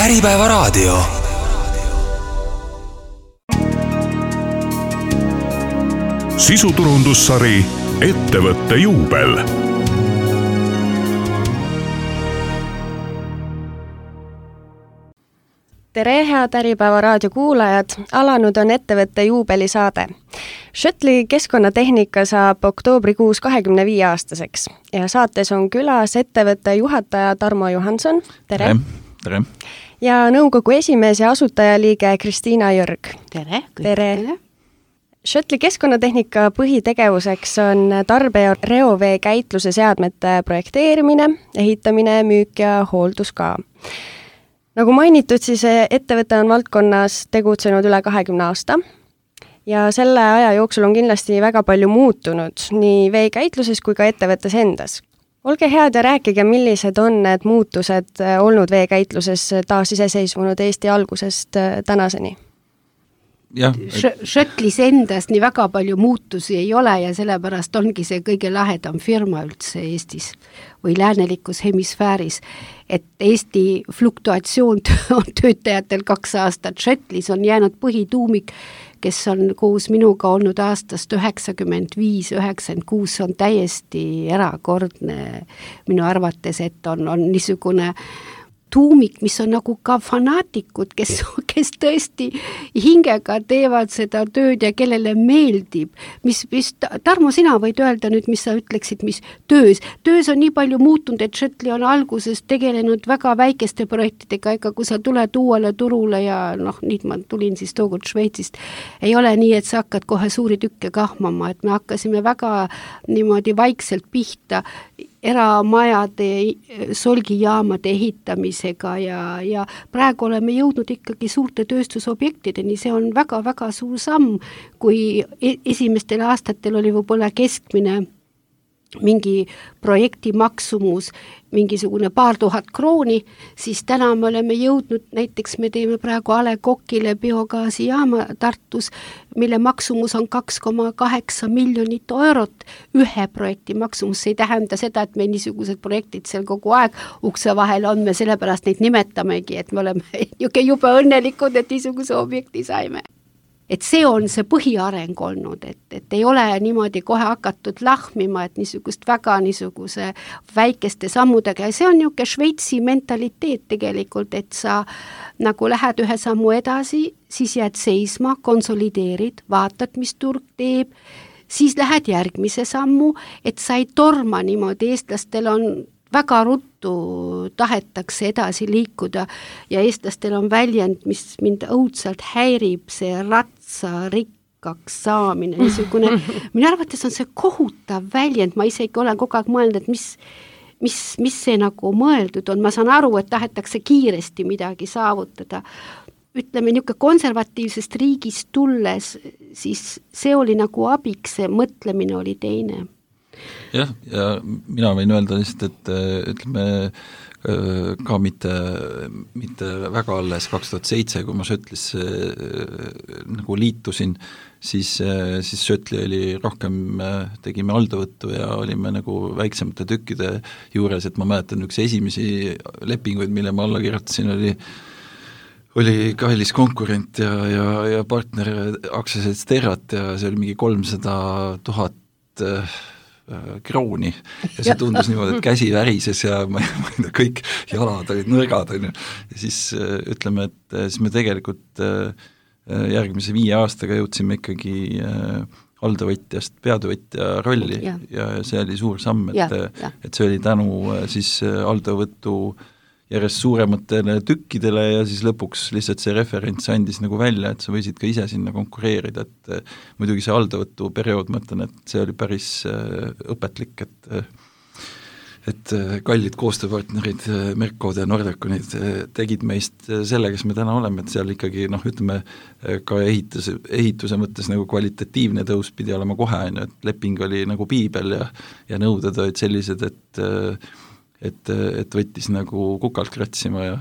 Äripäevaraadio. Sisuturundussari Ettevõtte juubel. Tere, head Äripäevaraadio kuulajad! Alanud on Ettevõtte juubelisaade. Shuttle'i keskkonnatehnika saab oktoobrikuus 25-aastaseks ja saates on külas ettevõtte juhataja Tarmo Johanson. Tere! Tere! Ja nõukogu esimees ja asutajaliige Kristiina Jörg. Tere! Tere! Shuttle'i keskkonnatehnika põhitegevuseks on tarbe- ja reovee käitluse seadmete projekteerimine, ehitamine, müük ja hooldus ka. Nagu mainitud, siis ettevõte on valdkonnas tegutsenud üle 20 aasta ja selle aja jooksul on kindlasti väga palju muutunud nii veekäitluses kui ka ettevõttes endas. Olge head ja rääkige, millised on need muutused olnud veekäitluses taasiseseisvunud Eesti algusest tänaseni? Shuttle'is endas nii väga palju muutusi ei ole ja sellepärast ongi see kõige lahedam firma üldse Eestis või läänelikus hemisfääris, et Eesti fluktuatsioon on töötajatel 2 aastat. Shuttle'is on jäänud põhituumik, kes on koos minuga olnud aastast 95-96, on täiesti erakordne minu arvates, et on niisugune tuumik, mis on nagu ka fanaatikud, kes tõesti hingega teevad seda tööd ja kellele meeldib. Tarmo, sina võid öelda nüüd, mis sa ütleksid, mis töös on nii palju muutunud, et Shuttle on alguses tegelenud väga väikeste projektidega, ega kui sa tuled uuele turule ja nüüd ma tulin siis tookord Šveitsist, ei ole nii, et sa hakkad kohe suuri tükke kahmama, et me hakkasime väga niimoodi vaikselt pihta eramajade, solgijaamade ehitamisega ja praegu oleme jõudnud ikkagi suurte tööstusobjektideni. See on väga-väga suur samm, kui esimestel aastatel oli võib-olla keskmine mingi projekti maksumus mingisugune paar tuhat krooni, siis täna me oleme jõudnud, näiteks me teeme praegu A. Le Coqile biogaasijaama Tartus, mille maksumus on 2,8 miljonit eurot ühe projekti maksumus. See ei tähenda seda, et me niisugused projektid seal kogu aeg ukse vahel on, me sellepärast neid nimetamegi, et me oleme juba õnnelikud, et niisuguse objekti saime. Et see on see põhiareng olnud, et ei ole niimoodi kohe hakatud lahmima, et niisugust väga niisuguse väikeste sammudega ja see on niisugune Šveitsi mentaliteet tegelikult, et sa nagu lähed ühe sammu edasi, siis jääd seisma, konsolideerid, vaatad, mis turg teeb, siis lähed järgmise sammu, et sa ei torma niimoodi, eestlastel on väga ruttu tahetakse edasi liikuda ja eestlastel on väljend, mis mind õudselt häirib, see ratsarikkaks saamine, niisugune, minu arvates on see kohutav väljend, ma isegi olen kogu aeg mõelnud, et mis see nagu mõeldud on, ma saan aru, et tahetakse kiiresti midagi saavutada. Ütleme, niisugune konservatiivsest riigist tulles, siis see oli nagu abiks, see mõtlemine oli teine. Ja mina võin öelda lihtsalt, et ütleme ka mitte väga alles 2007, kui ma Shuttle'is nagu liitusin, siis Shuttle oli rohkem, tegime aldavõttu ja olime nagu väiksemate tükkide juures, et ma mäletan üks esimesi lepinguid, mille ma alla kirjutasin, oli kallis konkurent ja partner aktsiaselts Terrat ja see oli mingi 300,000 krooni ja see tundus niimoodi, et käsi värises ja ma ei tea, kõik jalad olid nõrgad ja siis ütleme, et siis me tegelikult järgmise 5 aastaga jõudsime ikkagi aldavõtjast peatöövõtja rolli ja see oli suur samm, et see oli tänu siis aldavõttu järjest suurematele tükkidele ja siis lõpuks lihtsalt see referents andis nagu välja, et sa võisid ka ise sinna konkureerida, et muidugi see aldavõtu periood, ma ütlen, et see oli päris õpetlik, et kallid koostööpartnerid Merkod ja Nordeconid tegid meist selle, kes me täna oleme, et seal ikkagi ütleme ka ehituse mõttes nagu kvalitatiivne tõus pidi olema kohe, et leping oli nagu piibel ja nõuded olid sellised, et võttis nagu kukalt kratsima ja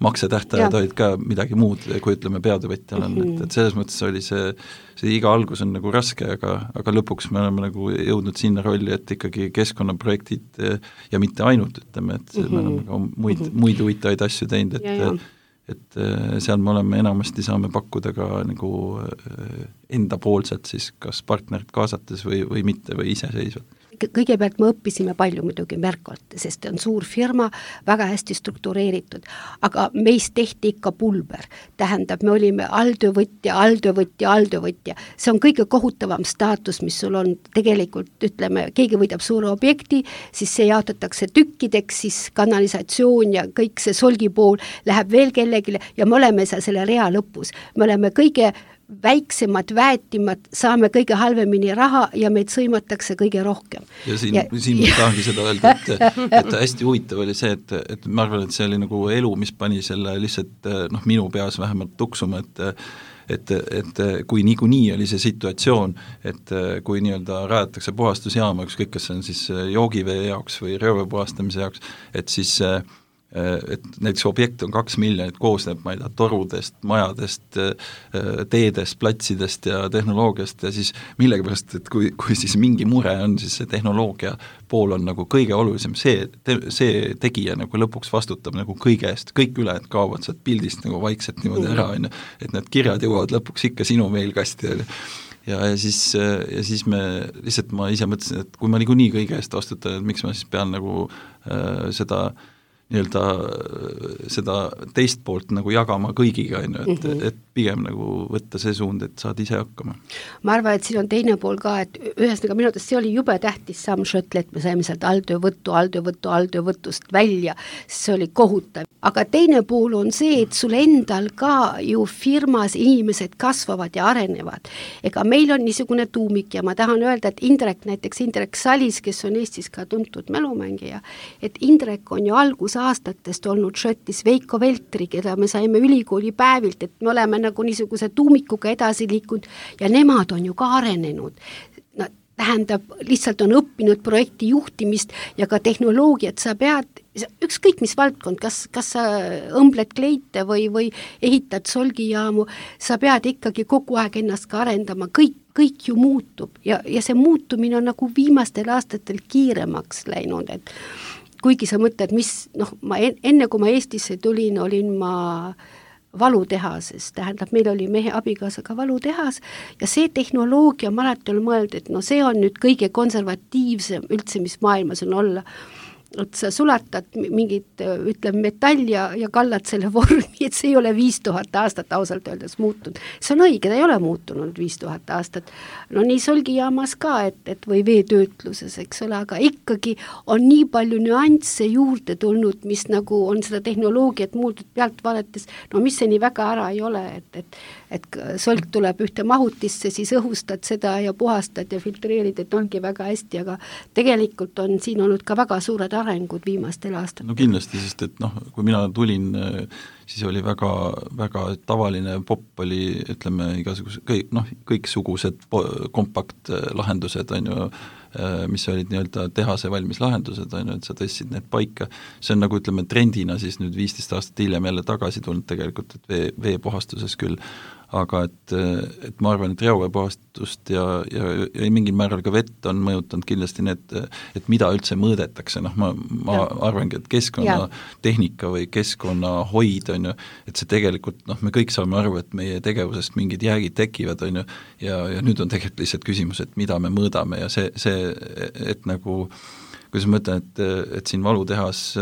maksetähtajad olid ka midagi muud, kui ütleme peatöövõtjal on, et selles mõttes oli see iga algus on nagu raske, aga lõpuks me oleme nagu jõudnud sinna rolli, et ikkagi keskkonnaprojektid ja mitte ainult, ütleme, et me oleme ka muid huvitavaid asju teinud, et seal me oleme enamasti saame pakkuda ka nagu endapoolselt siis kas partnerit kaasates või mitte või iseseisvalt. Kõigepealt me õppisime palju muidugi Merkolt, sest on suur firma, väga hästi struktureeritud, aga meist tehti ikka pulber. Tähendab, me olime alltöövõtja. See on kõige kohutavam staatus, mis sul on tegelikult, ütleme, keegi võidab suure objekti, siis see jaotatakse tükkideks, siis kanalisatsioon ja kõik see solgipool läheb veel kellegile ja me oleme selle rea lõpus. Me oleme kõige väiksemad, väetimad, saame kõige halvemini raha ja meid sõimatakse kõige rohkem. Ja siin ma tahangi seda öelda, et hästi huvitav oli see, et ma arvan, et see oli nagu elu, mis pani selle lihtsalt minu peas vähemalt tuksuma, et kui niikuinii oli see situatsioon, et kui nii-öelda rajatakse puhastusjaama, ükskõik kas see on siis joogivee jaoks või reovee puhastamise jaoks, et siis et näiteks objekt on 2 miljonit, koosneb, ma ei tea, torudest, majadest, teedest, platsidest ja tehnoloogiast ja siis millegipärast, et kui siis mingi mure on, siis see tehnoloogia pool on nagu kõige olulisem, see tegija nagu lõpuks vastutab nagu kõige eest, kõik ülejäänud kaovad sealt pildist nagu vaikselt niimoodi ära, et need kirjad jõuavad lõpuks ikka sinu meilkasti ja siis me lihtsalt ma ise mõtlesin, et kui ma niikuinii kõige eest vastutan, et miks ma siis pean nagu seda teist poolt nagu jagama kõigiga, et pigem nagu võtta see suund, et saad ise hakkama. Ma arvan, et siin on teine pool ka, et ühesõnaga minu arvates see oli jube tähtis samm Schöttl, et me saime sealt alltöövõtust välja, see oli kohutav. Aga teine pool on see, et sul endal ka ju firmas inimesed kasvavad ja arenevad. Ega meil on niisugune tuumik ja ma tahan öelda, et Indrek Salis, kes on Eestis ka tuntud mälumängija, et Indrek on ju aastatest olnud Schöttlis Veiko Veltri, keda me saime ülikooli päevilt, et me oleme nagu niisuguse tuumikuga edasi liikunud ja nemad on ju ka arenenud. No, tähendab, lihtsalt on õppinud projekti juhtimist ja ka tehnoloogiat, sa pead, ükskõik mis valdkond, kas sa õmbled kleite või ehitad solgijaamu, sa pead ikkagi kogu aeg ennast ka arendama, kõik ju muutub ja see muutumine on nagu viimastel aastatel kiiremaks läinud, et kuigi sa mõtled, enne kui ma Eestisse tulin, olin ma valutehases, tähendab, meil oli mehe abikaasaga valutehas ja see tehnoloogia, ma alati olen mõelnud, et see on nüüd kõige konservatiivsem üldse, mis maailmas on olla. Et sa sulatad mingit, ütleme, metall ja kallad selle vormi, et see ei ole 5000 aastat ausalt öeldes muutunud. See on õige, ta ei ole muutunud 5000 aastat. No nii solgijaamas ka, et või veetöötluses, eks ole, aga ikkagi on nii palju nüansse juurde tulnud, mis nagu on seda tehnoloogiat muutud pealt vaadates, mis see nii väga ära ei ole, et solk tuleb ühte mahutisse, siis õhustad seda ja puhastad ja filtreerid, et ongi väga hästi, aga tegelikult on siin olnud ka väga suured arengud viimastel aastatel. No kindlasti, sest et kui mina tulin, siis oli väga, väga tavaline popp oli, ütleme, kõiksugused kompaktlahendused, on ju, mis olid nii-öelda tehase valmis lahendused, on ju, et sa tõstsid need paika. See on nagu, ütleme, trendina siis nüüd 15 aastat hiljem jälle tagasi tulnud tegelikult, et veepuhastuses küll, aga et ma arvan, et reoveepuhastust ja mingil määral ka vett on mõjutanud kindlasti need, et mida üldse mõõdetakse, ma arvangi, et keskkonnatehnika või keskkonnahoid on ju, et see tegelikult, me kõik saame aru, et meie tegevusest mingid jäägid tekivad, on ju, ja nüüd on tegelikult lihtsalt küsimus, et mida me mõõdame ja see, et nagu kuidas ma mõtlen, et siin valutehas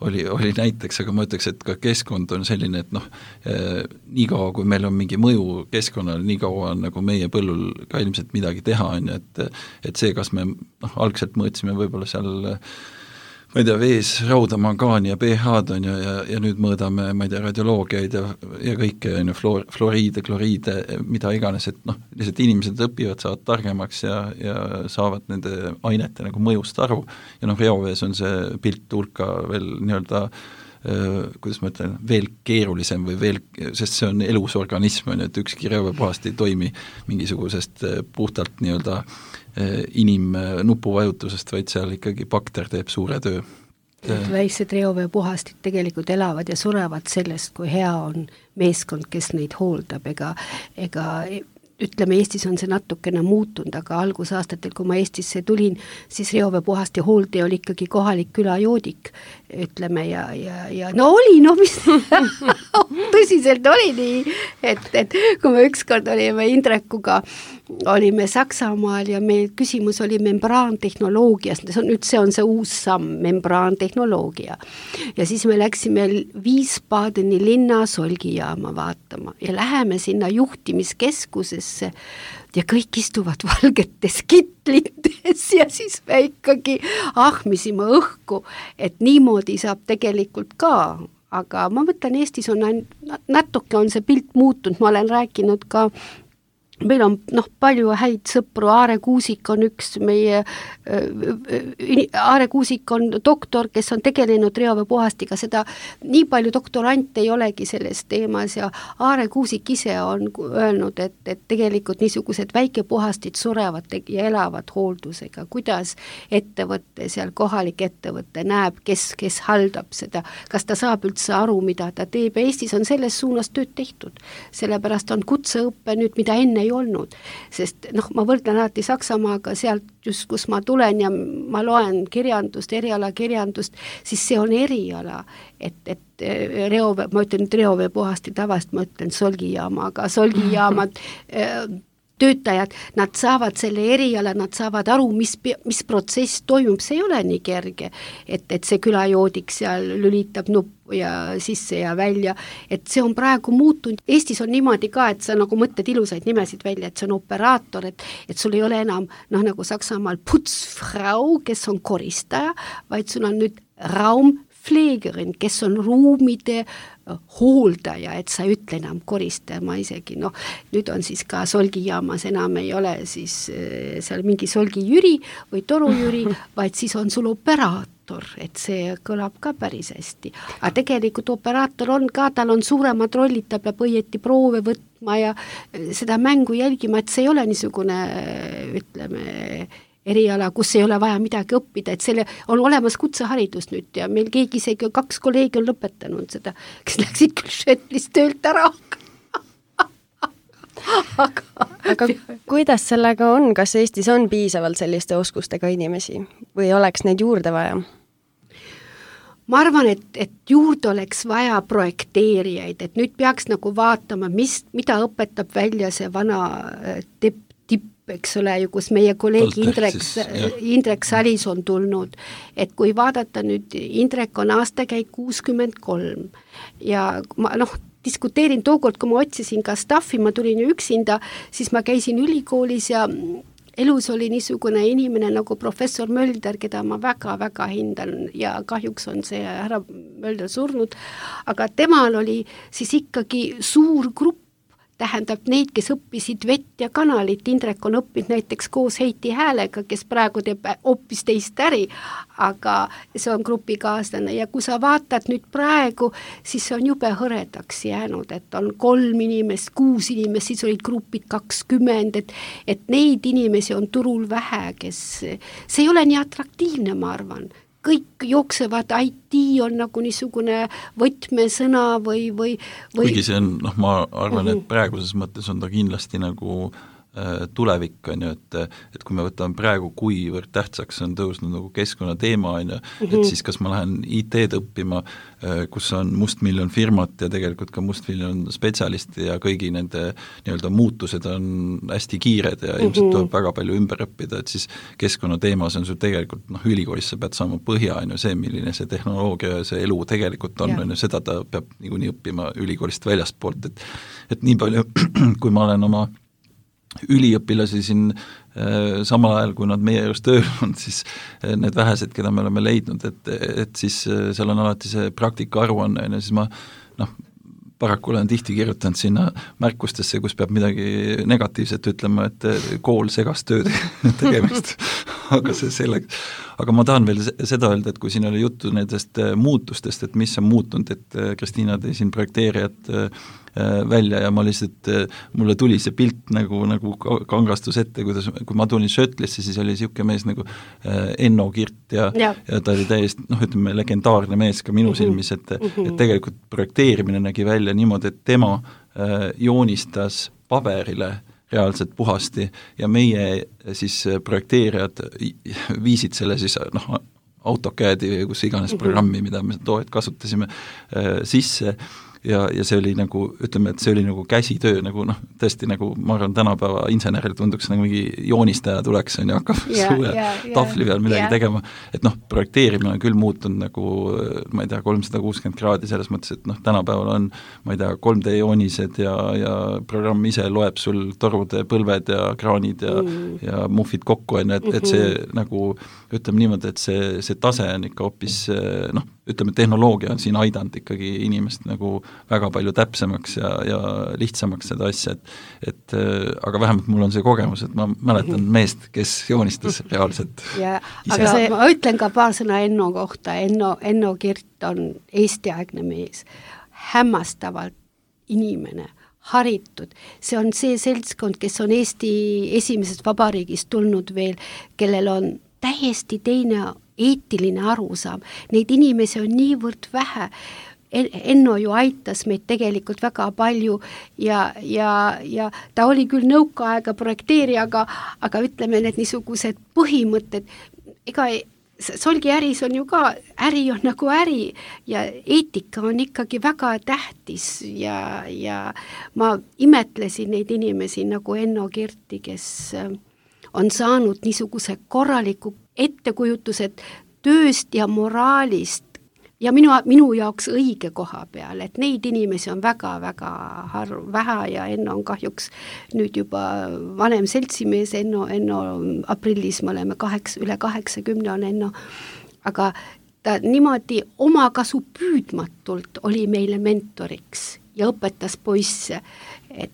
oli näiteks, aga ma ütleks, et ka keskkond on selline, et nii kaua, kui meil on mingi mõju keskkonnale, nii kaua on nagu meie põllul ka ilmselt midagi teha, on ju, et see, kas me algselt mõõtsime võib-olla seal ma ei tea, vees rauda, mangaani ja pH-d on ju, ja nüüd mõõdame, ma ei tea, radioloogiaid ja kõike, on ju, fluoriide, kloriide, mida iganes, et lihtsalt inimesed õpivad, saavad targemaks ja saavad nende ainete nagu mõjust aru ja reovees on see pilt hulka veel nii-öelda kuidas ma ütlen, veel keerulisem või veel, sest see on elus organism, on ju, et ükski reoveepuhast ei toimi mingisugusest puhtalt nii-öelda inimnupuvajutusest, vaid seal ikkagi bakter teeb suure töö. et väiksed reoveepuhastid tegelikult elavad ja surevad sellest, kui hea on meeskond, kes neid hooldab, ega ütleme, Eestis on see natukene muutunud, aga algusaastatel, kui ma Eestisse tulin, siis reoveepuhasti hooldaja oli ikkagi kohalik külajoodik, ütleme, ja no oli, no mis tõsiselt oli nii, et kui me ükskord olime Indrekuga, olime Saksamaal ja meil küsimus oli membraantehnoloogias, see on see uus samm, membraantehnoloogia. Ja siis me läksime Wiesbadeni linna solgijaama vaatama ja läheme sinna juhtimiskeskusesse ja kõik istuvad valgetes kitlites ja siis me ikkagi ahmisime õhku, et niimoodi saab tegelikult ka, aga ma mõtlen, Eestis on natuke on see pilt muutunud, ma olen rääkinud ka meil on palju häid sõpru, Aare Kuusik on üks meie, Aare Kuusik on doktor, kes on tegelenud reoveepuhastiga, seda nii palju doktorante ei olegi selles teemas ja Aare Kuusik ise on öelnud, et tegelikult niisugused väikepuhastid surevad ja elavad hooldusega, kuidas ettevõtte, seal kohalik ettevõte näeb, kes haldab seda, kas ta saab üldse aru, mida ta teeb ja Eestis on selles suunas tööd tehtud, sellepärast on kutseõppe nüüd, mida enne ei olnud, sest ma võrdlen alati Saksamaaga sealt just, kus ma tulen ja ma loen kirjandust, erialakirjandust, siis see on eriala, et ma ütlen reoveepuhasti tavast, ma ütlen solgijaama, aga solgijaamad töötajad, nad saavad selle eriala, nad saavad aru, mis protsess toimub, see ei ole nii kerge, et see külajoodik seal lülitab nuppu ja sisse ja välja, et see on praegu muutunud. Eestis on niimoodi ka, et sa nagu mõtled ilusaid nimesid välja, et see on operaator, et sul ei ole enam nagu Saksamaal Putzfrau, kes on koristaja, vaid sul on nüüd Raumpflegerin, kes on ruumide hooldaja, et sa ei ütle enam koristaja, ma isegi, nüüd on siis ka solgijaamas enam ei ole siis seal mingi solgijüri või torujüri, vaid siis on sul operaator, et see kõlab ka päris hästi. Aga tegelikult operaator on ka, tal on suuremad rollid, ta peab õieti proove võtma ja seda mängu jälgima, et see ei ole niisugune, ütleme, eriala, kus ei ole vaja midagi õppida, et selle on olemas kutseharidus nüüd ja meil keegi isegi 2 kolleegi on lõpetanud seda, kes läksid küll Švetlist töölt ära. aga kuidas sellega on, kas Eestis on piisavalt selliste oskustega inimesi või oleks neid juurde vaja? Ma arvan, et juurde oleks vaja projekteerijaid, et nüüd peaks nagu vaatama, mida õpetab välja see vana tipp, eks ole ju, kus meie kolleeg Indrek Salis on tulnud, et kui vaadata nüüd, Indrek on aastakäik 63 ja ma diskuteerin tookord, kui ma otsisin ka staffi, ma tulin ju üksinda, siis ma käisin ülikoolis ja elus oli niisugune inimene nagu professor Mölder, keda ma väga-väga hindan ja kahjuks on see härra Mölder surnud, aga temal oli siis ikkagi suur grupp, tähendab neid, kes õppisid vett ja kanalit, Indrek on õppinud näiteks koos Heiti Häälega, kes praegu teeb hoopis teist äri, aga see on grupikaaslane ja kui sa vaatad nüüd praegu, siis see on jube hõredaks jäänud, et on 3 inimest, 6 inimest, siis olid grupid 20, et neid inimesi on turul vähe, kes, see ei ole nii atraktiivne, ma arvan. Kõik jooksevad, IT on nagu niisugune võtmesõna või kuigi see on, ma arvan, et praeguses mõttes on ta kindlasti nagu tulevik, on ju, et kui me võtame praegu, kuivõrd tähtsaks on tõusnud nagu keskkonnateema, on ju, et siis kas ma lähen IT-d õppima, kus on mustmiljon firmat ja tegelikult ka mustmiljon spetsialisti ja kõigi nende nii-öelda muutused on hästi kiired ja ilmselt tuleb väga palju ümber õppida, et siis keskkonnateemas on sul tegelikult, ülikoolis sa pead saama põhja, on ju, see, milline see tehnoloogia ja see elu tegelikult on, on ju, seda ta peab niikuinii õppima ülikoolist väljastpoolt, et nii palju, kui ma olen oma üliõpilasi siin samal ajal, kui nad meie juures tööl on, siis need vähesed, keda me oleme leidnud, et siis seal on alati see praktika aruanne, ja siis ma paraku olen tihti kirjutanud sinna märkustesse, kus peab midagi negatiivset ütlema, et kool segas tööd tegemist, aga see selleks. aga ma tahan veel seda öelda, et kui siin oli juttu nendest muutustest, et mis on muutunud, et Kristiina tõi siin projekteerijat välja ja ma lihtsalt, mulle tuli see pilt nagu kangastus ette, kui ma tulin Schötlisse, siis oli niisugune mees nagu Enno Kirt ja ta oli täiesti, ütleme, legendaarne mees ka minu silmis, et tegelikult projekteerimine nägi välja niimoodi, et tema joonistas paberile reaalselt puhasti ja meie siis projekteerijad viisid selle siis AutoCAD-i või kus iganes programmi, mida me toojad kasutasime sisse ja see oli nagu, ütleme, et see oli nagu käsitöö, nagu tõesti nagu ma arvan, tänapäeva inseneril tunduks nagu mingi joonistaja tuleks, on ju, hakkab suure tahvli peal midagi tegema, et projekteerimine on küll muutunud nagu, ma ei tea, 360 kraadi selles mõttes, et tänapäeval on, ma ei tea, 3D joonised ja programm ise loeb sul torude põlved ja kraanid ja muffid kokku, on ju, et see nagu, ütleme niimoodi, et see tase on ikka hoopis, ütleme, tehnoloogia on siin aidanud ikkagi inimest nagu väga palju täpsemaks ja lihtsamaks seda asja, et aga vähemalt mul on see kogemus, et ma mäletan meest, kes joonistas reaalselt aga ma ütlen ka paar sõna Enno kohta. Enno Kirt on Eesti-aegne mees, hämmastavalt inimene, haritud, see on see seltskond, kes on Eesti esimesest vabariigist tulnud veel, kellel on täiesti teine eetiline arusaam. Neid inimesi on niivõrd vähe. Enno ju aitas meid tegelikult väga palju ja ta oli küll nõukaaega projekteerija, aga ütleme, need niisugused põhimõtted, ega solgiäris on ju ka, äri on nagu äri ja eetika on ikkagi väga tähtis ja ma imetlesin neid inimesi nagu Enno Kirti, kes on saanud niisuguse korraliku ettekujutused tööst ja moraalist ja minu jaoks õige koha peal, et neid inimesi on väga-väga vähe ja Enno on kahjuks nüüd juba vanem seltsimees, Enno aprillis me oleme üle 80 on Enno, aga ta niimoodi omakasu püüdmatult oli meile mentoriks ja õpetas poisse, et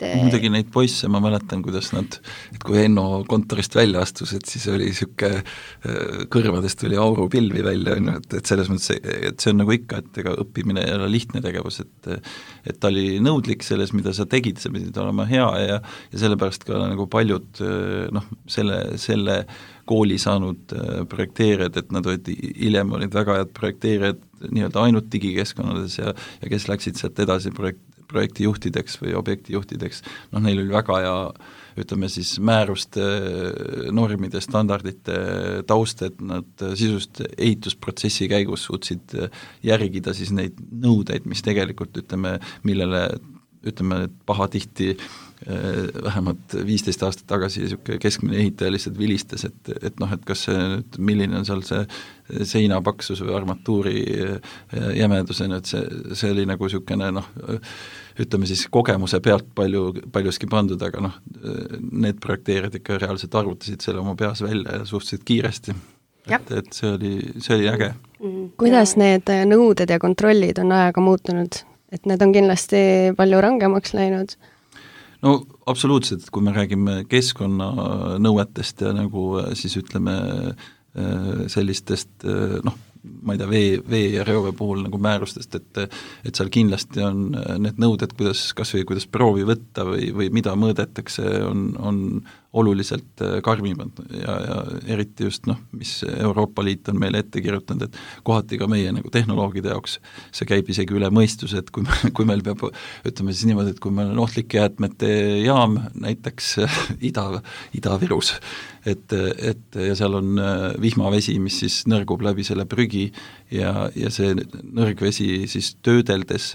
muidugi neid poisse, ma mäletan, kuidas nad, et kui Enno kontorist välja astus, et siis oli niisugune kõrvadest tuli aurupilvi välja, et selles mõttes, et see on nagu ikka, et ega õppimine ei ole lihtne tegevus, et ta oli nõudlik selles, mida sa tegid, sa pidid olema hea ja sellepärast ka nagu paljud selle kooli saanud projekteerijad, et nad hiljem olid väga head projekteerijad nii-öelda ainult digikeskkonnades ja kes läksid sealt edasi projektijuhtideks või objektijuhtideks, neil oli väga hea, ütleme siis määruste, normide, standardite taust, et nad sisust ehitusprotsessi käigus suutsid järgida siis neid nõudeid, mis tegelikult, millele pahatihti vähemalt 15 aastat tagasi niisugune keskmine ehitaja lihtsalt vilistas, et kas see nüüd, milline on seal see seinapaksus või armatuuri jämedusena, et see oli nagu niisugune ütleme siis kogemuse pealt paljuski pandud, aga need projekteerijad ikka reaalselt arvutasid selle oma peas välja ja suhteliselt kiiresti. Et see oli äge. Kuidas need nõuded ja kontrollid on ajaga muutunud? Et need on kindlasti palju rangemaks läinud? No absoluutselt, kui me räägime keskkonnanõuetest ja nagu siis ütleme sellistest ma ei tea, vee ja reovee puhul nagu määrustest, et seal kindlasti on need nõuded, kuidas proovi võtta või mida mõõdetakse, on oluliselt karmimad ja eriti just, mis Euroopa Liit on meile ette kirjutanud, et kohati ka meie nagu tehnoloogide jaoks see käib isegi üle mõistuse, et kui meil peab, ütleme siis niimoodi, et kui meil on ohtlike jäätmete jaam näiteks Ida-Virus, et ja seal on vihmavesi, mis siis nõrgub läbi selle prügi ja see nõrgvesi siis töödeldes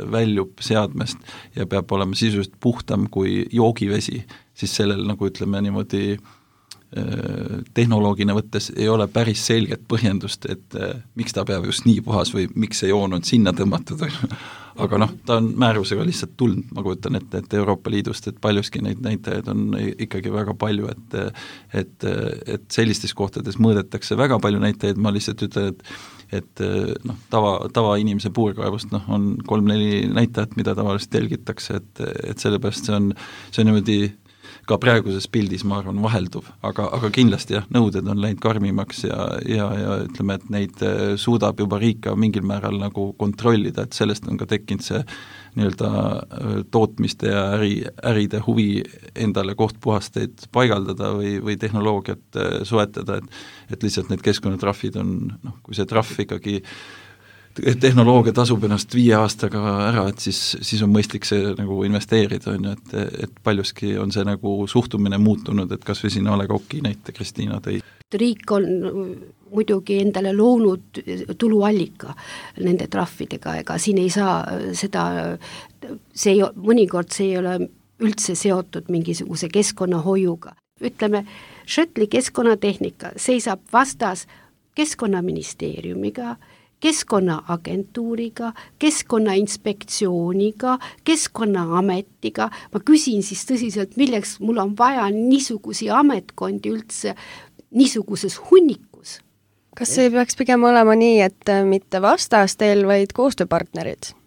väljub seadmest ja peab olema sisuliselt puhtam kui joogivesi, siis sellel nagu ütleme niimoodi tehnoloogina võttes ei ole päris selget põhjendust, et miks ta peab just nii puhas või miks see joon on sinna tõmmatud. Aga ta on määrusega lihtsalt tulnud, ma kujutan ette, et Euroopa Liidust, et paljuski neid näitajaid on ikkagi väga palju, et sellistes kohtades mõõdetakse väga palju näitajaid, ma lihtsalt ütlen, et tava inimese puurkaevust on 3-4 näitajat, mida tavaliselt jälgitakse, et sellepärast see on niimoodi ka praeguses pildis, ma arvan, vahelduv, aga kindlasti jah, nõuded on läinud karmimaks ja ütleme, et neid suudab juba riik ka mingil määral nagu kontrollida, et sellest on ka tekkinud see nii-öelda tootmiste ja äride huvi endale kohtpuhasteid paigaldada või tehnoloogiat soetada, et lihtsalt need keskkonnatrahvid on, kui see trahv ikkagi tehnoloogia tasub ennast 5 aastaga ära, et siis on mõistlik see nagu investeerida, on ju, et paljuski on see nagu suhtumine muutunud, et kas või siin A. Le Coq'i näite Kristiina tõi. Riik on muidugi endale loonud tuluallika nende trahvidega, ega siin ei saa seda, mõnikord see ei ole üldse seotud mingisuguse keskkonnahoiuga. Ütleme, Schöttli keskkonnatehnika seisab vastas Keskkonnaministeeriumiga, Keskkonnaagentuuriga, Keskkonnainspektsiooniga, Keskkonnaametiga. Ma küsin siis tõsiselt, milleks mul on vaja niisugusi ametkondi üldse niisuguses hunnikus. Kas see peaks pigem olema nii, et mitte vastastel, vaid koostööpartnerid?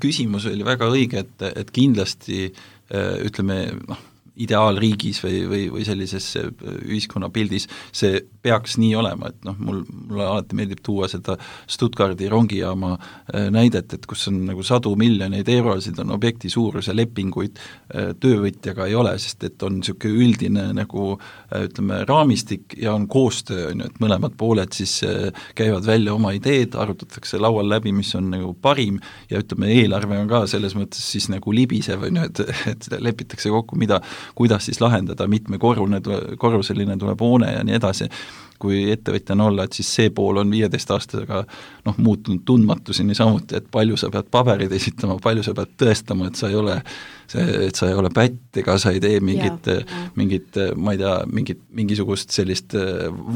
Küsimus oli väga õige, et kindlasti ütleme, ideaalriigis või sellises ühiskonnapildis see peaks nii olema, et mulle alati meeldib tuua seda Stuttgardi rongijaama näidet, et kus on nagu 100 miljoneid eurosid on objekti suuruse lepinguid, töövõtjaga ei ole, sest et on niisugune üldine nagu ütleme raamistik ja on koostöö, et mõlemad pooled siis käivad välja oma ideed, arutatakse laual läbi, mis on nagu parim ja ütleme, eelarve on ka selles mõttes siis nagu libisev, et lepitakse kokku, kuidas siis lahendada, mitmekorruseline tuleb hoone ja nii edasi. Kui ettevõtjana olla, et siis see pool on 15 aastaga muutunud tundmatuseni samuti, et palju sa pead paberid esitama, palju sa pead tõestama, et sa ei ole pätt ega sa ei tee mingit ma ei tea, mingisugust sellist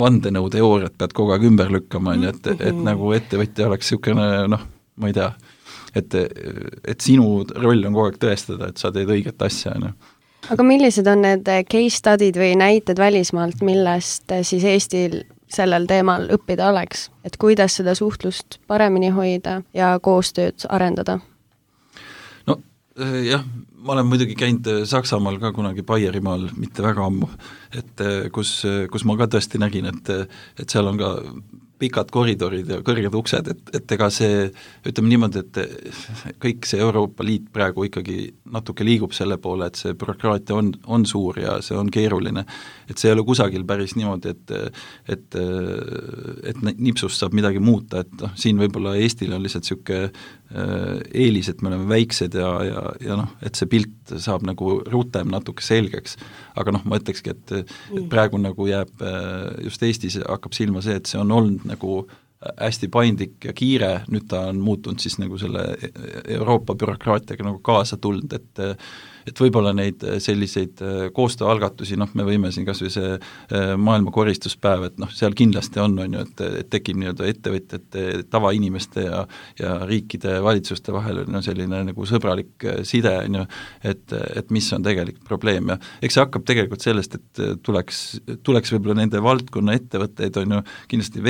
vandenõuteooriat pead kogu aeg ümber lükkama, et nagu ettevõtja oleks niisugune, ma ei tea, et sinu roll on kogu aeg tõestada, et sa teed õiget asja, Aga millised on need case study'd või näited välismaalt, millest siis Eestil sellel teemal õppida oleks? Et kuidas seda suhtlust paremini hoida ja koostööd arendada? Jah, ma olen muidugi käinud Saksamaal ka kunagi Baierimaal, mitte väga ammu, et kus ma ka tõesti nägin, et seal on ka pikad koridorid ja kõrged uksed, et ega see, ütleme niimoodi, et kõik see Euroopa Liit praegu ikkagi natuke liigub selle poole, et see bürokraatia on suur ja see on keeruline, et see ei ole kusagil päris niimoodi, et nipsust saab midagi muuta, et siin võib-olla Eestil on lihtsalt niisugune eelis, et me oleme väiksed ja et see pilt saab nagu rutem natuke selgeks, aga ma ütlekski, et praegu nagu jääb just Eestis hakkab silma see, et see on olnud nagu hästi paindlik ja kiire, nüüd ta on muutunud siis nagu selle Euroopa bürokraatiaga nagu kaasa tulnud, et võib-olla neid selliseid koostööalgatusi, me võime siin kas või see maailma koristuspäev, et seal kindlasti on ju, et tekib nii-öelda ettevõtjate, tavainimeste ja riikide valitsuste vahel on selline nagu sõbralik side, et mis on tegelikult probleem ja eks see hakkab tegelikult sellest, et tuleks võib-olla nende valdkonna ettevõtteid, on ju kindlasti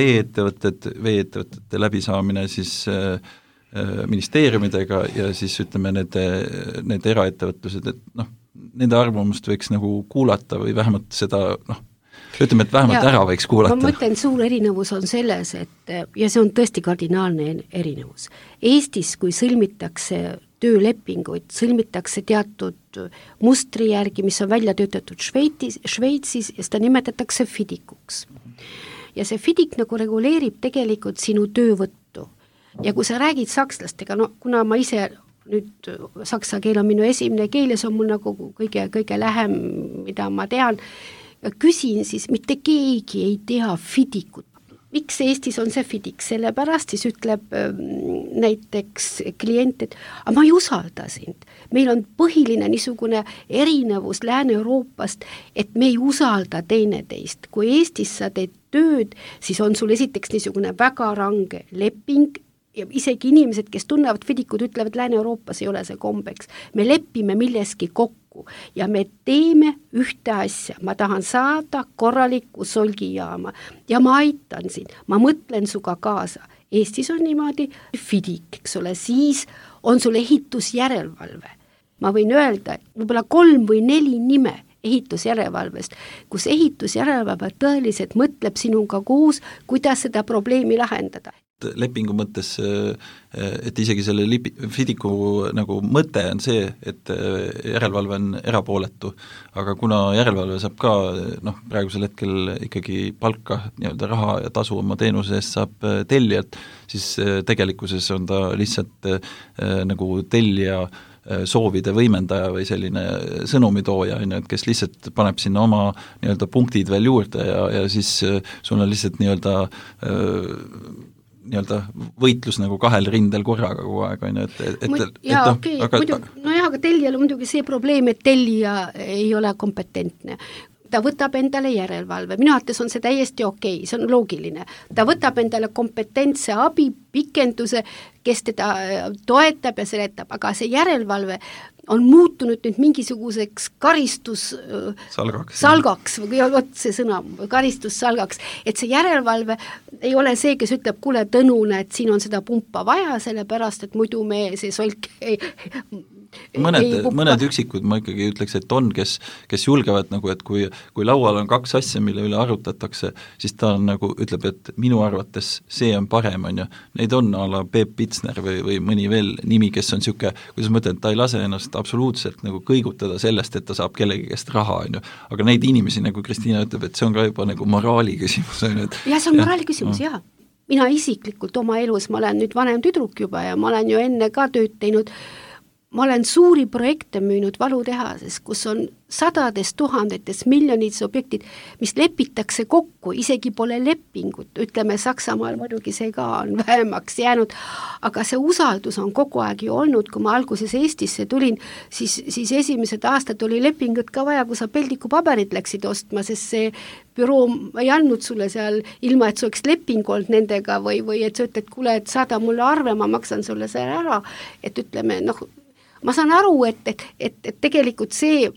veeettevõtete läbisaamine siis ministeeriumidega ja siis ütleme need eraettevõtlused, et nende arvamust võiks nagu kuulata või vähemalt seda, ütleme, et vähemalt ära võiks kuulata. Ma mõtlen, suur erinevus on selles, et ja see on tõesti kardinaalne erinevus. Eestis, kui sõlmitakse töölepinguid, sõlmitakse teatud mustri järgi, mis on välja töötatud Šveitsis ja seda nimetatakse fidikuks. Ja see fidik nagu reguleerib tegelikult sinu töövõttu. Ja kui sa räägid sakslastega, kuna ma ise nüüd saksa keel on minu esimene keel ja see on mul nagu kõige lähem, mida ma tean, küsin siis, mitte keegi ei tea fidikut. Miks Eestis on see fidik? Sellepärast siis ütleb näiteks klient, et ma ei usalda sind. Meil on põhiline niisugune erinevus Lääne-Euroopast, et me ei usalda teineteist. Kui Eestis sa teed tööd, siis on sul esiteks niisugune väga range leping, ja isegi inimesed, kes tunnevad fidikud, ütlevad, Lääne-Euroopas ei ole see kombeks. Me lepime milleski kokku ja me teeme ühte asja. Ma tahan saada korralikku solgijaama ja ma aitan sind, ma mõtlen suga kaasa. Eestis on niimoodi fidik, eks ole, siis on sul ehitusjärelevalve. Ma võin öelda, võib-olla 3 või 4 nime ehitusjärelevalvest, kus ehitusjärelevalve tõeliselt mõtleb sinuga koos, kuidas seda probleemi lahendada. Lepingu mõttes, et isegi selle FIDICu nagu mõte on see, et järelevalve on erapooletu, aga kuna järelevalve saab ka praegusel hetkel ikkagi palka, nii-öelda raha ja tasu oma teenuse eest saab tellijalt, siis tegelikkuses on ta lihtsalt nagu tellija soovide võimendaja või selline sõnumitooja, et kes lihtsalt paneb sinna oma nii-öelda punktid veel juurde ja siis sul on lihtsalt nii-öelda võitlus nagu kahel rindel korraga kogu aeg, aga tellijal on muidugi see probleem, et tellija ei ole kompetentne. Ta võtab endale järelevalve, minu arvates on see täiesti okei, see on loogiline. Ta võtab endale kompetentse abi, pikenduse, kes teda toetab ja seletab, aga see järelevalve on muutunud nüüd mingisuguseks salgaks, või see sõna, karistussalgaks, et see järelevalve ei ole see, kes ütleb, kuule Tõnune, et siin on seda pumpa vaja, sellepärast, et muidu me see solk mõned üksikud ma ikkagi ütleks, et on, kes julgevad nagu, et kui laual on kaks asja, mille üle arutatakse, siis ta on nagu, ütleb, et minu arvates see on parem, on ju. Neid on a la Peep Pitsner või mõni veel nimi, kes on siuke, kuidas ma ütlen, ta ei lase ennast absoluutselt nagu kõigutada sellest, et ta saab kellegi käest raha, on ju. Aga neid inimesi, nagu Kristiina ütleb, et see on ka juba nagu moraali küsimus. Ja see on moraali küsimus, jah. Mina isiklikult oma elus, ma olen nüüd vanem tüdruk juba ja ma olen ju enne ka tööd teinud, ma olen suuri projekte müünud valutehases, kus on sadades, tuhandetes, miljonites objektid, mis lepitakse kokku, isegi pole lepingut, ütleme Saksamaal muidugi see ka on vähemaks jäänud, aga see usaldus on kogu aeg ju olnud, kui ma alguses Eestisse tulin, siis esimesed aastad oli lepingut ka vaja, kui sa peldikupaberit läksid ostma, sest see büroo ei andnud sulle seal, ilma et sa oleks leping olnud nendega või et sa ütled, kuule, et saada mulle arve, ma maksan sulle selle ära, et ütleme, ma saan aru, et tegelikult see,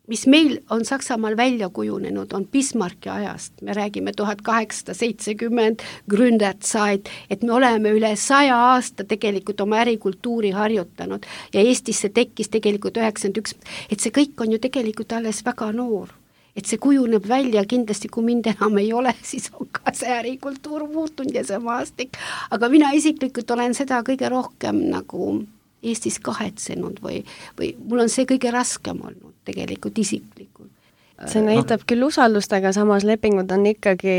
mis meil on Saksamaal välja kujunenud, on Bismarcki ajast. Me räägime 1870 Gründerzeit, et me oleme üle 100 aasta tegelikult oma ärikultuuri harjutanud ja Eestisse tekkis tegelikult 91, et see kõik on ju tegelikult alles väga noor. Et see kujuneb välja, kindlasti kui mind enam ei ole, siis on ka see ärikultuur muutunud ja see maastik. Aga mina isiklikult olen seda kõige rohkem nagu Eestis kahetsenud või mul on see kõige raskem olnud tegelikult isiklikult. See näitab küll usaldust, aga samas lepingud on ikkagi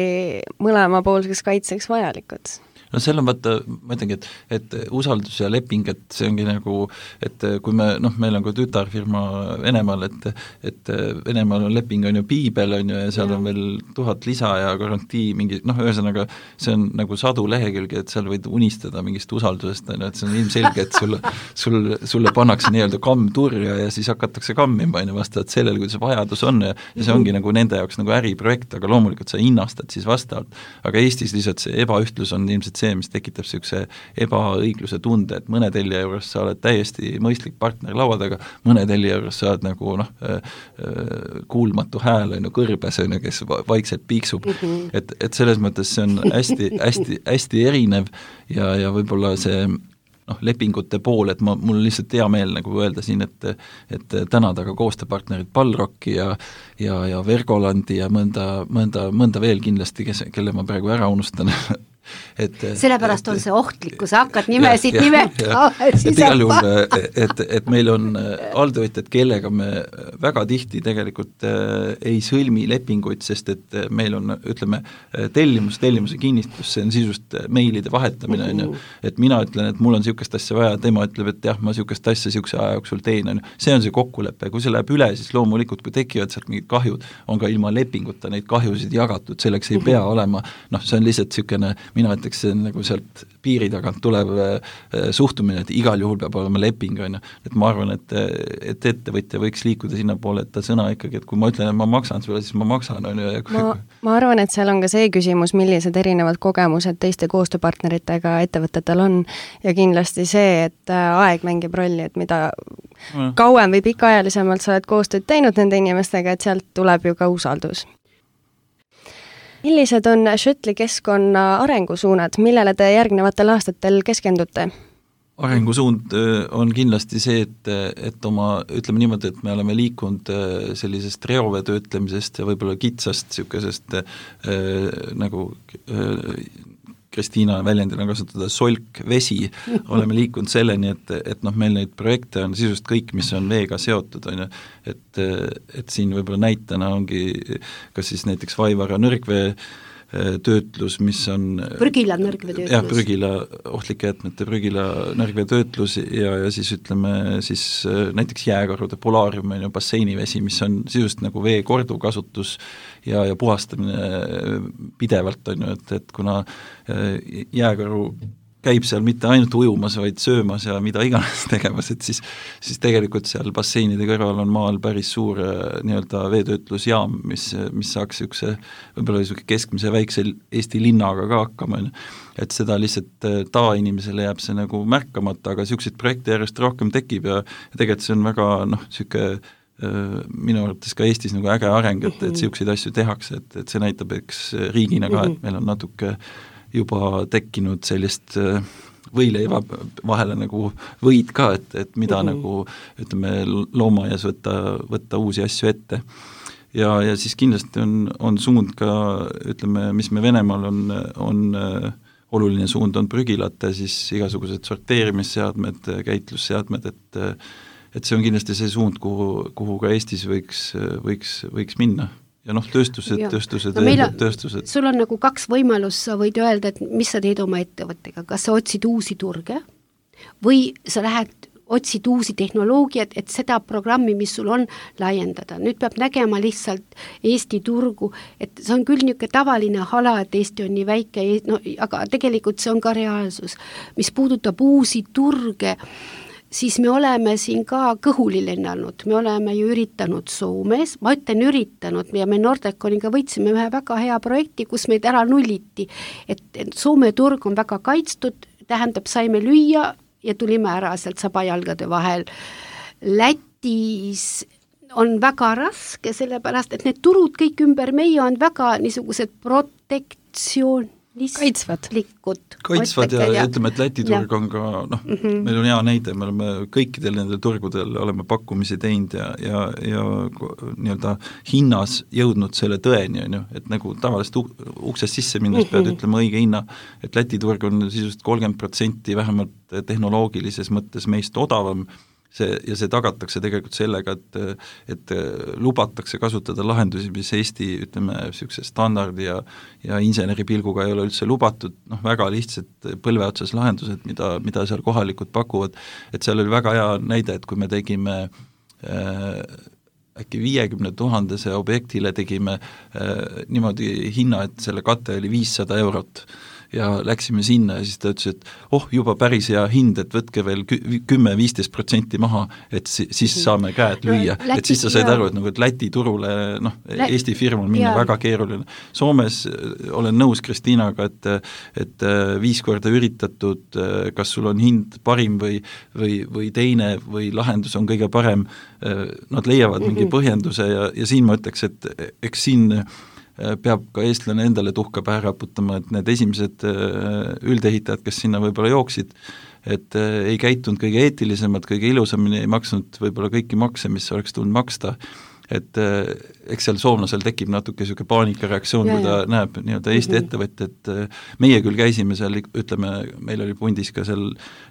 mõlemapoolseks kaitseks vajalikud. No seal on vaata, ma ütlengi, et usaldus ja leping, et see ongi nagu, et kui meil on ka tütarfirma Venemaal, et Venemaal on leping on ju piibel on ju ja seal on veel 1000 lisa ja garantii mingi, ühesõnaga see on nagu sadu lehekülgi, et seal võid unistada mingist usaldusest, et see on ilmselge, et sulle pannakse nii-öelda kamm turja ja siis hakatakse kammima vastavalt sellele, kuidas vajadus on ja see ongi nagu nende jaoks nagu äriprojekt, aga loomulikult sa hinnastad siis vastavalt, aga Eestis lihtsalt see ebaühtlus on ilmselt see, mis tekitab niisuguse ebaõigluse tunde, et mõne tellija juures sa oled täiesti mõistlik partner laua taga, mõne tellija juures sa oled nagu kuulmatu hääl kõrbes, kes vaikselt piiksub. Et selles mõttes see on hästi erinev ja võib-olla see lepingute pool, et mul lihtsalt hea meel nagu öelda siin, et tänada ka koostööpartnerid Balrocki ja Vergolandi ja mõnda veel kindlasti, kelle ma praegu ära unustan. Sellepärast on see ohtlik, kui sa hakkad nimesid nimetama. Et igal juhul, et meil on alltöötajad, kellega me väga tihti tegelikult ei sõlmi lepinguid, sest et meil on, ütleme, tellimuse kinnistus, see on sisust meilide vahetamine, et mina ütlen, et mul on niisugust asja vaja, tema ütleb, et jah, ma niisugust asja niisuguse aja jooksul teen, see on see kokkulepe, kui see läheb üle, siis loomulikult, kui tekivad sealt mingid kahjud, on ka ilma lepinguta neid kahjusid jagatud, selleks ei pea olema, see on lihtsalt niisugune mina ütleks, see on nagu sealt piiri tagant tulev suhtumine, et igal juhul peab olema leping, et ma arvan, et ettevõtja võiks liikuda sinna poole, et ta sõna ikkagi, et kui ma ütlen, et ma maksan sulle, siis ma maksan. Ma arvan, et seal on ka see küsimus, millised erinevad kogemused teiste koostööpartneritega ettevõtetel on ja kindlasti see, et aeg mängib rolli, et mida kauem või pikaajalisemalt sa oled koostööd teinud nende inimestega, et sealt tuleb ju ka usaldus. Millised on Schöttli keskkonna arengusuunad, millele te järgnevatel aastatel keskendute? arengusuund on kindlasti see, et oma, ütleme niimoodi, et me oleme liikunud sellisest reovee töötlemisest ja võib-olla kitsast niisugusest nagu Kristiina väljendina kasutada solk, vesi, oleme liikunud selleni, et noh, meil neid projekte on sisust kõik, mis on veega seotud, on ju, et siin võib-olla näitena ongi kas siis näiteks Vaivara nõrgvee töötlus, mis on prügila nõrgvee töötlus. Jah, prügila, ohtlike jätmete prügila nõrgvee töötlus ja siis ütleme siis näiteks jääkarude polaarium on ju basseinivesi, mis on sisust nagu vee korduvkasutus ja puhastamine pidevalt on ju, et kuna jääkaru käib seal mitte ainult ujumas, vaid söömas ja mida iganes tegemas, et siis tegelikult seal basseinide kõrval on maal päris suur nii-öelda veetöötlusjaam, mis saaks võib-olla keskmise väikse Eesti linnaga ka hakkama, et seda lihtsalt tavainimesele jääb see nagu märkamata, aga niisuguseid projekte järjest rohkem tekib ja tegelikult see on väga minu arvates ka Eestis nagu äge areng, et niisuguseid asju tehakse, et see näitab eks riigina ka, et meil on natuke juba tekkinud sellist võileiva vahele nagu võid ka, et mida nagu ütleme loomaaias võtta uusi asju ette. Ja siis kindlasti on suund ka, ütleme, mis me Venemaal on oluline suund on prügilate, siis igasugused sorteerimisseadmed, käitlusseadmed, et see on kindlasti see suund, kuhu ka Eestis võiks minna. Ja tööstused. Sul on nagu kaks võimalust, sa võid öelda, et mis sa teed oma ettevõttega, kas sa otsid uusi turge või sa otsid uusi tehnoloogiat, et seda programmi, mis sul on, laiendada. Nüüd peab nägema lihtsalt Eesti turgu, et see on küll niisugune tavaline hala, et Eesti on nii väike, aga tegelikult see on ka reaalsus. Mis puudutab uusi turge, siis me oleme siin ka kõhuli lennanud, me oleme ju üritanud Soomes, ma ütlen üritanud ja me Nordeconiga võitsime ühe väga hea projekti, kus meid ära nulliti, et Soome turg on väga kaitstud, tähendab, saime lüüa ja tulime ära sealt sabajalgade vahel. Lätis on väga raske, sellepärast, et need turud kõik ümber meie on väga niisugused kaitsvad ja ütleme, et Läti turg on ka, meil on hea näide, me oleme kõikidel nendel turgudel oleme pakkumisi teinud ja nii-öelda hinnas jõudnud selle tõeni, on ju, et nagu tavaliselt uksest sisse minnes pead ütlema õige hinna, et Läti turg on sisust 30% vähemalt tehnoloogilises mõttes meist odavam, ja see tagatakse tegelikult sellega, et lubatakse kasutada lahendusi, mis Eesti, ütleme, niisuguse standardi ja inseneripilguga ei ole üldse lubatud, väga lihtsad põlveotsas lahendused, mida seal kohalikud pakuvad, et seal oli väga hea näide, et kui me tegime äkki 50 000 objektile tegime niimoodi hinna, et selle kate oli 500 eurot ja läksime sinna ja siis ta ütles, et juba päris hea hind, et võtke veel 10-15% maha, et siis saame käed lüüa. Et siis sa said aru, et Läti turule, Eesti firmal minna väga keeruline. Soomes olen nõus Kristiinaga, et 5 korda üritatud, kas sul on hind parim või teine või lahendus on kõige parem, nad leiavad mingi põhjenduse ja siin ma ütleks, et eks siin peab ka eestlane endale tuhka pähe raputama, et need esimesed üldehitajad, kes sinna võib-olla jooksid, et ei käitunud kõige eetilisemad, kõige ilusamini, ei maksnud võib-olla kõiki makse, mis oleks tulnud maksta, et eks seal soomlasel tekib natuke niisugune paanikareaktsioon, kui ta näeb nii-öelda Eesti ettevõtjat, meie küll käisime seal, ütleme, meil oli pundis ka seal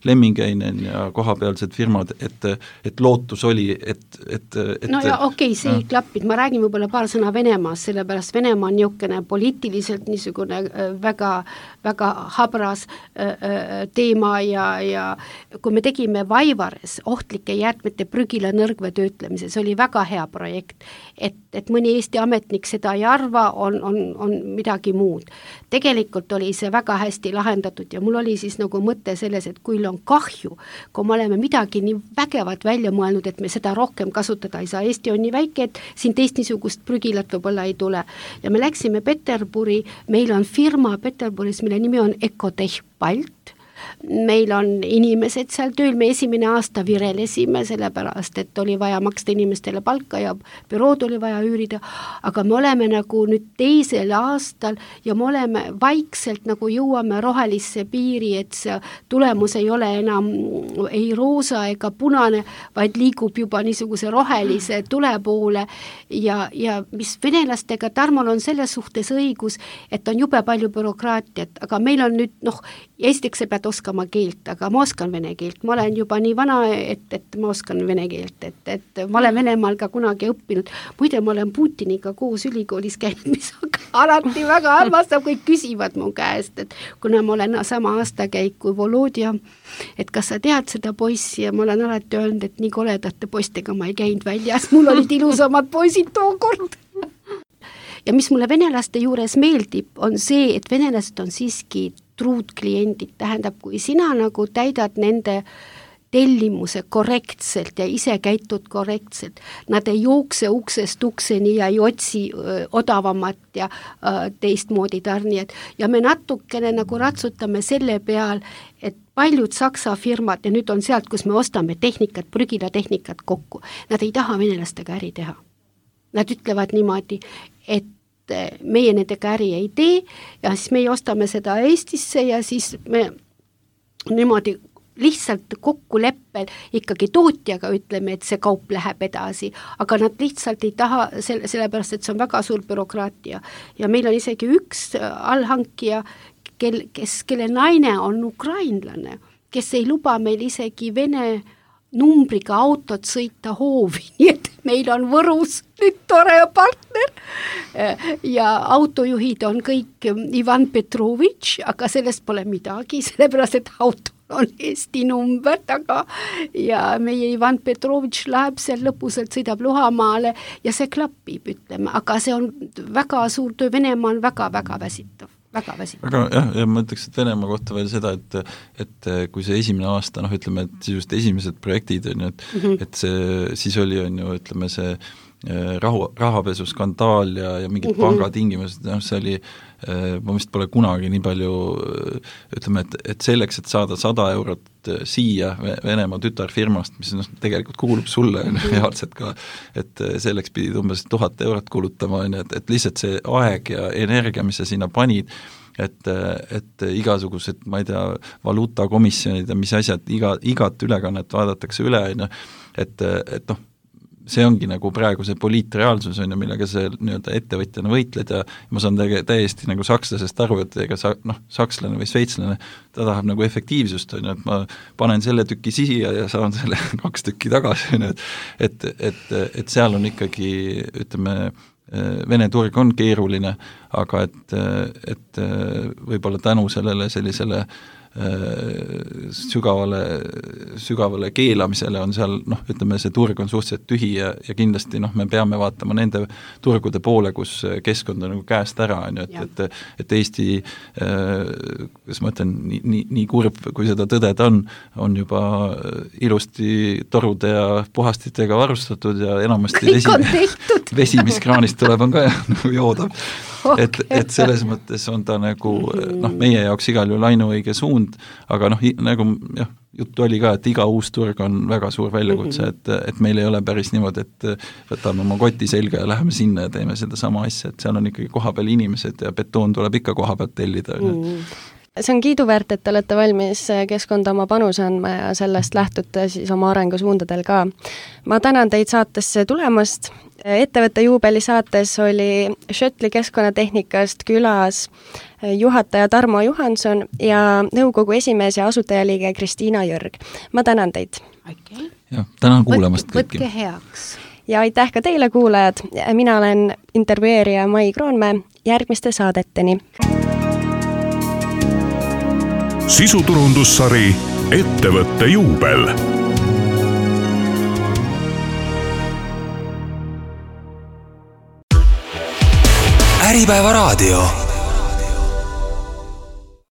Lemmingeinen ja kohapealsed firmad, et lootus oli, see ei klappinud, ma räägin võib-olla paar sõna Venemaast, sellepärast Venemaa on niisugune poliitiliselt niisugune väga, väga habras teema ja kui me tegime Vaivares ohtlike jäätmete prügila nõrgvee töötlemise, see oli väga hea projekt, et mõni Eesti ametnik seda ei arva, on midagi muud. Tegelikult oli see väga hästi lahendatud ja mul oli siis nagu mõte selles, et kui on kahju, kui me oleme midagi nii vägevat välja mõelnud, et me seda rohkem kasutada ei saa, Eesti on nii väike, et siin teist niisugust prügilat võib-olla ei tule. Ja me läksime Peterburi, meil on firma Peterburis, mille nimi on Ecotech Balt, meil on inimesed seal tööl, me esimene aasta virelesime, sellepärast, et oli vaja maksta inimestele palka ja bürood oli vaja üürida, aga me oleme nagu nüüd teisel aastal ja me oleme vaikselt nagu jõuame rohelisse piiri, et see tulemus ei ole enam ei roosa ega punane, vaid liigub juba niisuguse rohelise tule poole ja mis venelastega, Tarmol on selles suhtes õigus, et on jube palju bürokraatiat, aga meil on nüüd, esiteks sa pead oskama keelt, aga ma oskan vene keelt, ma olen juba nii vana, et ma oskan vene keelt, et ma olen Venemaal ka kunagi õppinud, muide ma olen Putiniga koos ülikoolis käinud, mis alati väga armastab, kõik küsivad mu käest, et kuna ma olen sama aastakäik kui Volodja, et kas sa tead seda poissi ja ma olen alati öelnud, et nii koledate poistega ma ei käinud väljas, mul olid ilusamad poisid tookord. Ja mis mulle venelaste juures meeldib, on see, et venelased on siiski truud kliendid, tähendab, kui sina nagu täidad nende tellimuse korrektselt ja ise käitud korrektselt, nad ei jookse uksest ukseni ja ei otsi odavamat ja teistmoodi tarnijad ja me natukene nagu ratsutame selle peal, et paljud Saksa firmad ja nüüd on sealt, kus me ostame tehnikat, prügilatehnikat kokku, nad ei taha venelastega äri teha. Nad ütlevad niimoodi, et meie nendega äri ei tee ja siis meie ostame seda Eestisse ja siis me niimoodi lihtsalt kokkuleppel ikkagi tootjaga ütleme, et see kaup läheb edasi, aga nad lihtsalt ei taha, sellepärast, et see on väga suur bürokraatia ja meil on isegi üks allhankija, kelle naine on ukrainlane, kes ei luba meil isegi vene numbriga autot sõita hoovi, nii et meil on Võrus nüüd tore partner ja autojuhid on kõik Ivan Petrovitš, aga sellest pole midagi, sellepärast et auto on Eesti number taga ja meie Ivan Petrovitš läheb seal lõpusalt, sõidab Luhamaale ja see klappib, ütleme, aga see on väga suur töö, Venemaa on väga-väga väsitav. Väga ma ütleks, et Venemaa kohta veel seda, et kui see esimene aasta, ütleme, et just esimesed projektid on ju, et see, siis oli on ju, ütleme see rahapesuskandaal ja mingid pangatingimused, see oli, ma vist pole kunagi nii palju, ütleme, et selleks, et saada 100 eurot siia Venemaa tütarfirmast, mis tegelikult kuulub sulle reaalselt ka, et selleks pidid umbes 1000 eurot kulutama, et lihtsalt see aeg ja energia, mis sa sinna panid, et igasugused, ma ei tea, valuutakomisjonid ja mis asjad, igat ülekannet vaadatakse üle, et see ongi nagu praegu see poliitreaalsus on ja millega see nii-öelda ettevõtjana võitled ja ma saan täiesti nagu sakslasest aru, et ega sakslane või sveitslane, ta tahab nagu efektiivsust on ju, et ma panen selle tüki siia ja saan selle 2 tükki tagasi, et seal on ikkagi, ütleme, Vene turg on keeruline, aga et võib-olla tänu sellele sellisele sügavale keelamisele on seal, ütleme, see turg on suhteliselt tühi ja kindlasti me peame vaatama nende turgude poole, kus keskkond on nagu käest ära, et Eesti, kas ma ütlen, nii kurb, kui seda tõdeda on juba ilusti torude ja puhastitega varustatud ja enamasti vesi, mis kraanist tuleb, on ka joodav. Et selles mõttes on ta nagu, meie jaoks igal juhul ainuõige suund, aga nagu juttu oli ka, et iga uus turg on väga suur väljakutse, et meil ei ole päris niimoodi, et võtame oma koti selga ja läheme sinna ja teeme seda sama asja, et seal on ikkagi kohapeal inimesed ja betoon tuleb ikka kohapealt tellida. See on kiiduväärt, et te olete valmis keskkonda oma panuse andma ja sellest lähtute siis oma arengusuundadel ka. Ma tänan teid saatesse tulemast. Ettevõtte juubeli saates oli Schöttli keskkonnatehnikast külas juhataja Tarmo Johanson ja nõukogu esimees ja asutajaliige Kristiina Jörg. Ma tänan teid. Okay. Ja, tänan kuulamast kõiki. Võtke heaks. Ja aitäh ka teile kuulajad. Mina olen intervjueerija Mai Kroonmäe. Järgmiste saadeteni. Sisuturundussari Ettevõtte juubel. Äripäeva raadio.